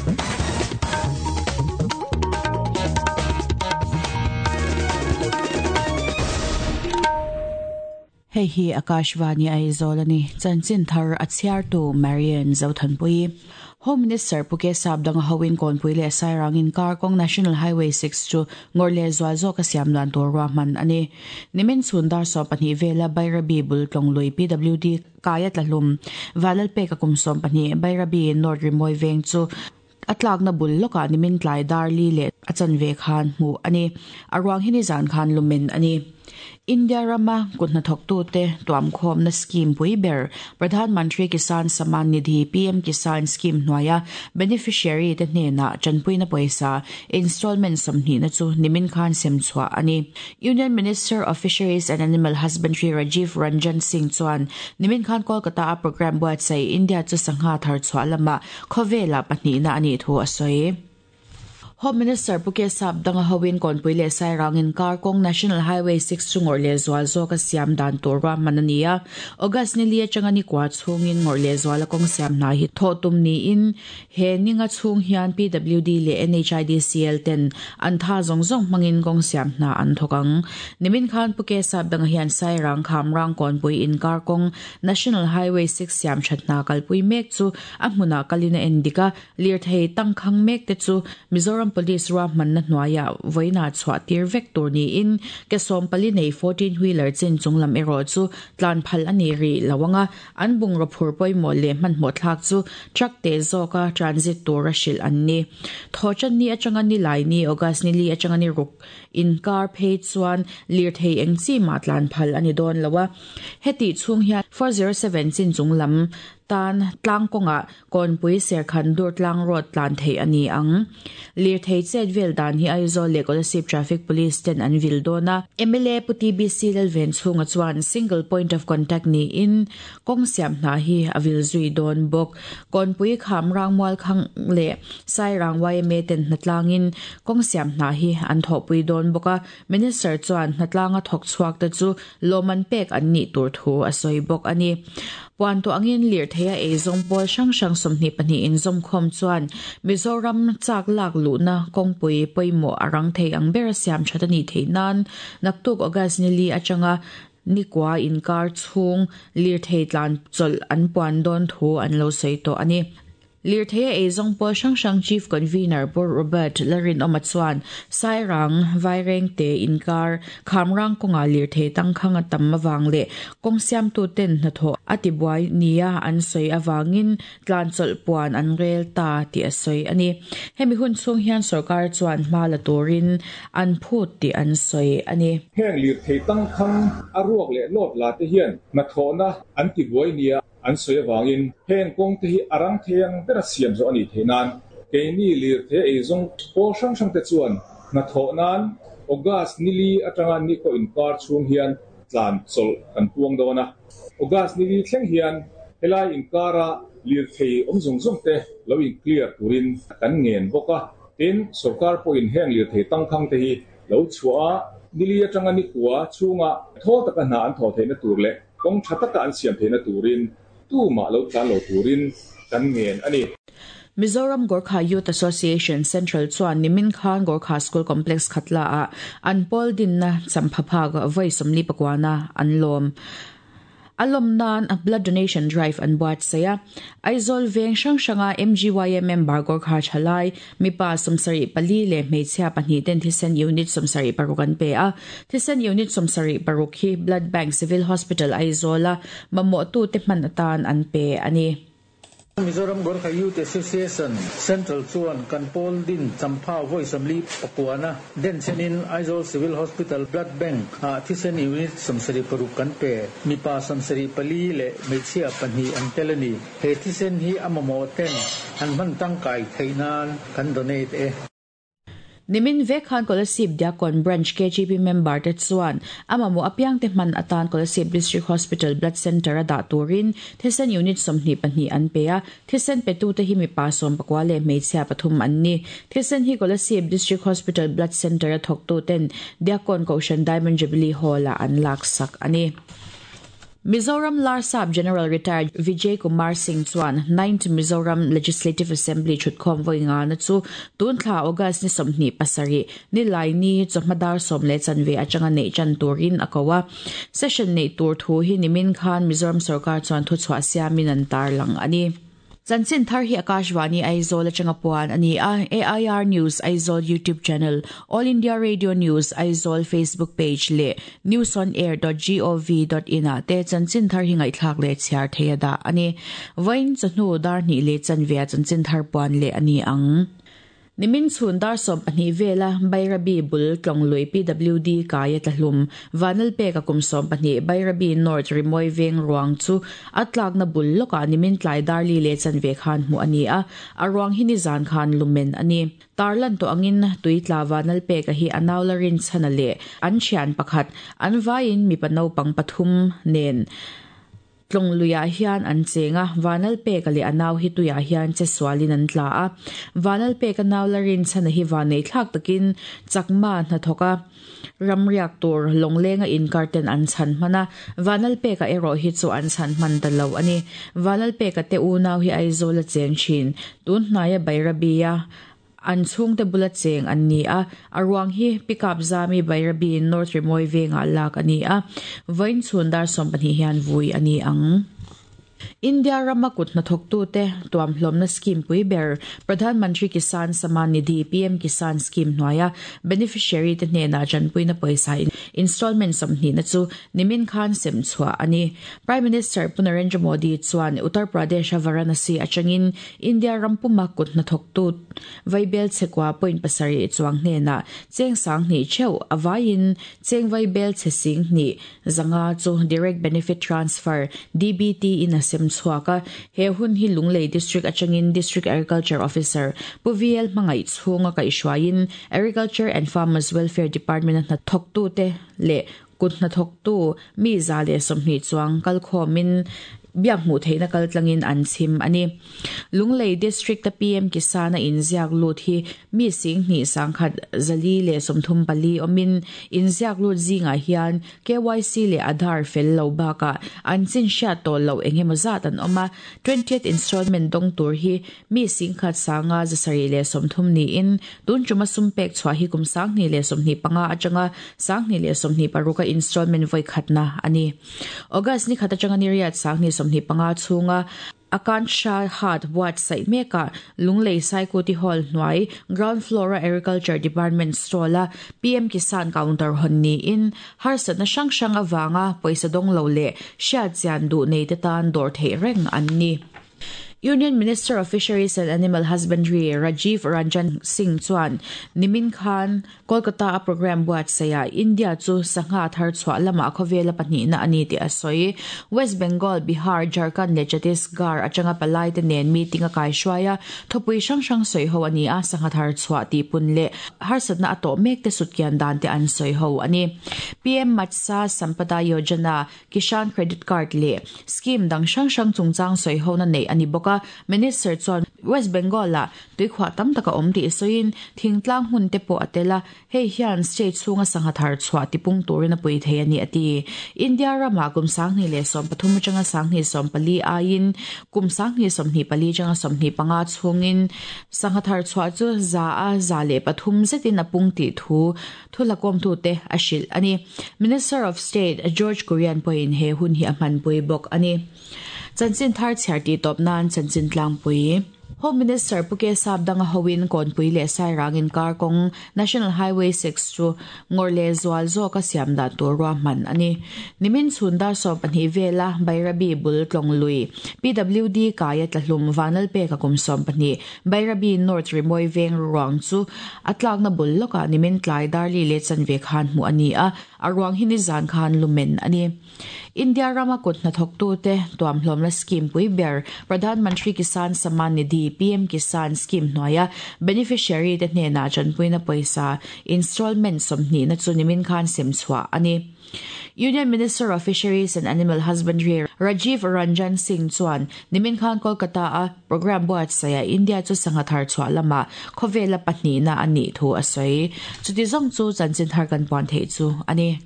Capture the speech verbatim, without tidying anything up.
Hei hi Akashvani Aizawl ani chanchin thar a chhiar tu Marian Zothanpui. Home Minister Puke Sapdanga hoin Kawnpui leh Sairang in kar kawng National Highway six chu ngawr leh zual zawk a siam dan tur ruahman ani. Nimin chhun dar sawm pahnih vela Bairabi bul tlawng lui P W D kaya tlahlum Valal pek a kum sawm pahnih Bairabi North Rimoi veng chu atlak na bul loka nimin tlai dar li leh a chanve khan hmu ani. A ruang hi ni zan khan lumen ani. India rama kutna thoktu te tuam khom na scheme pui ber Pradhan Mantri Kisan Samman Nidhi P M Kisan scheme hnuaia beneficiary te hnena chanpui na paisa installment samhni na chu nimin khan sem chhuah ani. Union Minister of Fisheries and Animal Husbandry Rajiv Ranjan Singh chuan nimin khan Kolkata a program buatsaih India chu sangha thar chhuah lama khawvela pahnih na ani thu a sawi. Home Minister Puke Sapdanga hoin Kawnpui leh Sairang in kar kawng National Highway six chu ngawr leh zual zawk a siam dan tur ruahman ani a. August ni li atanga ni kwa chhungin ngawr leh zual a kawng siam hna hi thawh tum niin he ninga chhung hian P W D leh N H I D C L ten an tha zawng zawng hmangin kawng siam hna an thawk ang. Nimin khan Puke Sapdanga hian Sairang Khamrang Kawnpui in kar kawng National Highway six siam that hna kalpui mek chu a hmunah kalina en dika lirthei tangkhang mek te chu Mizoram Police ruahman na hnuaia voina chhuah tir vek tur niin ke sawm pali nei fourteen wheeler chin chunglam erawh chu tlan phal ani ri lawanga an bungraw phur pawimawh leh hmanhmawh thlak chu truck te zawka transit tur a hrilh an ni. Thawchan ni atanga ni lai ni August ni li atanga ni ruk inkar phei chuan lirthei eng chi ma tlan phal ani dawn lowa. Heti chhung hian four zero seven chin chunglam tan tlang kawnga Kawnpui Serkhan dur tlang road tlan thei ani ang. Lirthei chet vel dan hi Aizawl leh Kolasib Traffic Police ten an vil dawna. M L A Puti B C Lalven chhunga chuan single point of contact ni in kawng siam hna hi a vil zui dawn bawk. Kawnpui Khamrang Mual Khang leh Sairang Y M A ten hnatlangin kawng siam hna hi an thawhpui dawn bawk a. Minister chuan hnatlanga thawk chhuak te chu lawman pek an nih tur thu a sawi bawk ani. Puan to angin lirthei a eizawng pawl hrang hrang sawmhnih pahnih in zawm khawm chuan Mizoram chak lak luhna kawngpui pawimawh a rang thei ang ber a siam that ani theih nan naktuk August ni li atanga ni kwa inkar chhung lirthei tlan chawlh an puan dawn thu an lo sawi tawh ani. Lirthei a eizawng pawl hrang hrang Chief Convener Pu Robert Larin Oma chuan Sairang Vaireng te inkar Khamrang kawnga lirthei tangkhang a tam awang leh kawng siamtu ten hnathawh a tibuai nia an sawi awangin tlan chawlh puan an rel ta tih a sawi ani. Hemi hun chhung hian sarkar chuan hma la turin an phut tih an sawi ani. Heng lirthei tangkhang a ruak leh lawt la te hian hnathawhna an tibuai nia an sawi awangin heng kawng te hi a rang thei ang ber a siam zawh ani theih nan keini lirthei eizawng pawl hrang hrang te chuan hnathawh nan August ni li atanga ni ko inkar chhung hian tlan chawlh kan puang dawn a. August ni li thleng hian helai inkara lirthei awm zawng zawng te lo in clear turin kan ngen bawk a. Tin sarkar pawhin heng lirthei tangkhang te hi lo chhuah a ni li atanga ni kua chhunga thawl taka hna an thawh theihna tur leh kawng tha taka an siam theihna turin tu ma lo tlan lo turin kan ngen ani. Mizoram Gorkha Youth Association Central chuan nimin khan Gorkha School Complex khatla a an pawl din na champhapha voi sawmli pakwana an lawm. Alom nan a blood donation drive an buat saya. Aizawl veng hrang hranga M G Y M member Gorkha Thalai mipa sawmsarih pali leh hmeichhia pahnih ten thisen unit sawmsarih paruk an pe a. Thisen unit sawmsarih paruk hi Blood Bank Civil Hospital Aizawl a mamawh tu te hman atan an pe ani. Mizoram Gorkha Youth Association Central chuan kan pawl din champha voi samli pakuana den chenin Aizawl Civil Hospital Blood Bank a thisen unit samsari paruk kan pe mipa samsari pali le hmeichhia pahnih an telani he thisen hi amamo ten an hman tangkai theinan kan donate e. Nimin vek khan Kolasib Diakon Branch K G P member te chuan amamo apiang te hman atan Kolasib District Hospital Blood Center a dah turin thisen unit sawmhnih pahnih an pe a. Thisen petu te hi mipa sawm pakua leh hmeichhia pathum an ni. Thisen hi Kolasib District Hospital Blood Center a thawktu ten Diakon Kohhran Diamond Jubilee Hall a an lak sak ani. Mizoram Larsap General Retired Vijay Kumar Singh chuan ninth Mizoram Legislative Assembly thutkhawm vawi na chu tun thla August ni sawmhnih pasarih ni lai ni chawhma sawm leh chanve atanga nei chan turin a ko a. Session nei tur thu hi nimin khan Mizoram sarkar chuan thu chhuah siamin an tar lang ani. Chanchin thar hi Akashvani Aizawl atanga puan ani a. A I R News Aizawl YouTube channel, All India Radio News Aizawl Facebook page le news on air dot gov dot in a te chanchin thar hi ngaihthlak le chhiar theia da ani. Vain chahnu dar ni le chanvia chanchin thar puan le ani ang. Nimin chhun dar sawm pahnih vela Bairabi bul tlonglui P W D kaya tlahlum vanal pe ka kum sawm pahnih Bairabi North Rimoi Veng ruang chu atlak na bul loka nimin tlai darli le chanve khan mu ani a aruang hi ni zan khan lumen ani. Tarlan to angin tuitla vanal pe ka hi anawlarin chana le an thian pakhat an vain mi pano pang pathum nen tlongluia hian an chenga vanal pe ka le anaw hi tuya hian che swalin an tla a. Vanal pe ka naw larin chana hi vanei thlak takin chakma na thoka ramriak tur longlenga in karten an chan mana vanal pe ka ero hi chu an chan man ta lo ani. Vanal pe ka te u naw hi Aizawl a cheng thin tun hnaya Bairabia an chung te bula cheng an ni a. Aruang hi pickup zami Bairabi North Rimoi Venga lak ani a. Vain chhun dar sawm pahnih hian vui ani ang. India ramakut na thoktu te tuam hlomna scheme pui ber Pradhan Mantri Kisan Samman Nidhi P M Kisan scheme hnuaia beneficiary te hnena chanpuina pawisa installment sawmhnih na chu nimin khan sem chhuah ani. Prime Minister Pu Narendra Modi chuan Uttar Pradesh Varanasi atangin India rampuma kut na thoktu vaibel chekwa point pasarih chuang hnena cheng sang hnih theuh awaiin cheng vaibel che sing hnih zanga chu direct benefit transfer D B T in a sem chhuaka. He hun hi Lunglei District atangin District Agriculture Officer Pu V L Hmangaih chhunga kaihhruaiin Agriculture and Farmers Welfare Department na thoktu te le kut na thoktu mi za le sawmhnih chuang kalkhawmin biak hmuh theihna kal tlangin an chim ani. Lunglei District ta P M Kisan a inziak lut hi mi sing hnih sangkhat zali le sawmthum pali awmin inziak lut zingah hian K Y C le Aadhaar fel lo bakah an chin hriat tawh lo engemaw zat an awm a. twentieth installment dawng tur hi mi singkhat sanga zasarih le sawmthum niin tun tuma sum pek chhuah hi kum sanghnih le sawmhnih panga atanga sanghnih le sawmhnih paruka installment vawi khatna ani. August ni khat atanga ni riat sanghnih sawmhnih panga chhunga Akansha Hat website meka Lunglei Saikuti Hall hnuai Ground Floor Agriculture Department stall a P M Kisan counter hon ni in harsat na sang sang awanga pawisa dawng lo le hriat chian duh nei te tan dawr theih reng an ni. Union Minister of Fisheries and Animal Husbandry Rajiv Ranjan Singh chuan nimin khan Kolkata a program buat saya India chu sangha thar chhuah lama khawvela pahnih na ani ti a sawi. West Bengal, Bihar, Jharkhand le Chhattisgarh atanga palai te nen meeting a kai hruaia thupui hrang hrang sawi ho ani a. Sangha thar chhuah ti pun le harsatna a tawh mek te sutkian dan te an sawi ho ani. P M Matsya Sampada Yojana, Kisan Credit Card le scheme dang hrang hrang chungchang sawi ho na nei ani bawk. Minister chuan West Bengal la tuikhua tam taka awm tih sawiin thingtlang hmun te pawh a tel a. Hei hian state chhunga sangha thar chhuah tipung turin a pui thei ani ati. India rama kum sanghnih leh sawm pathum atanga sanghnih sawm pali aiin kum sanghnih sawmhnih pali atanga sawmhnih panga chhungin sangha thar chhuah chu za a za leh pathum zetin a pung tih thu thulakawm tu te a hrilh ani. Minister of State George Kurian pawhin he hun hi a hmanpui bawk ani. Chanchin thar chhiar ti tawp nan chanchin tlangpui. Home Minister Puke Sapdanga Howin Konpui le Sairangin kar kong National Highway six chu ngorle zual zo ka siam dan tur ruah man ani. Nimin chhun dar sawm pahnih vela Bairabi bul tlonglui P W D kaya tlahlum vanal pe ka kum sawm pahnih Bairabi North Rimoi Veng ruang chu atlak na bul loka nimin tlai darli le chanve khan mu ani a aruang hi ni zan khan lumen ani. India rama kut na thoktu te tuam hlomna scheme pui ber Pradhan Mantri Kisan Samman Nidhi P M Kisan scheme hnuaia beneficiary te hnena chanpuina pawisa installment sawmhnih na chu nimin khan sem chhuah ani. Union Minister of Fisheries and Animal Husbandry Rajiv Ranjan Singh chuan nimin khan Kolkata a program buat saya India chu sangha thar chhuah lama khawvela pahnih na ani thu a sawi. Chuti zawng chu chanchin thar kan puan theih chu ani.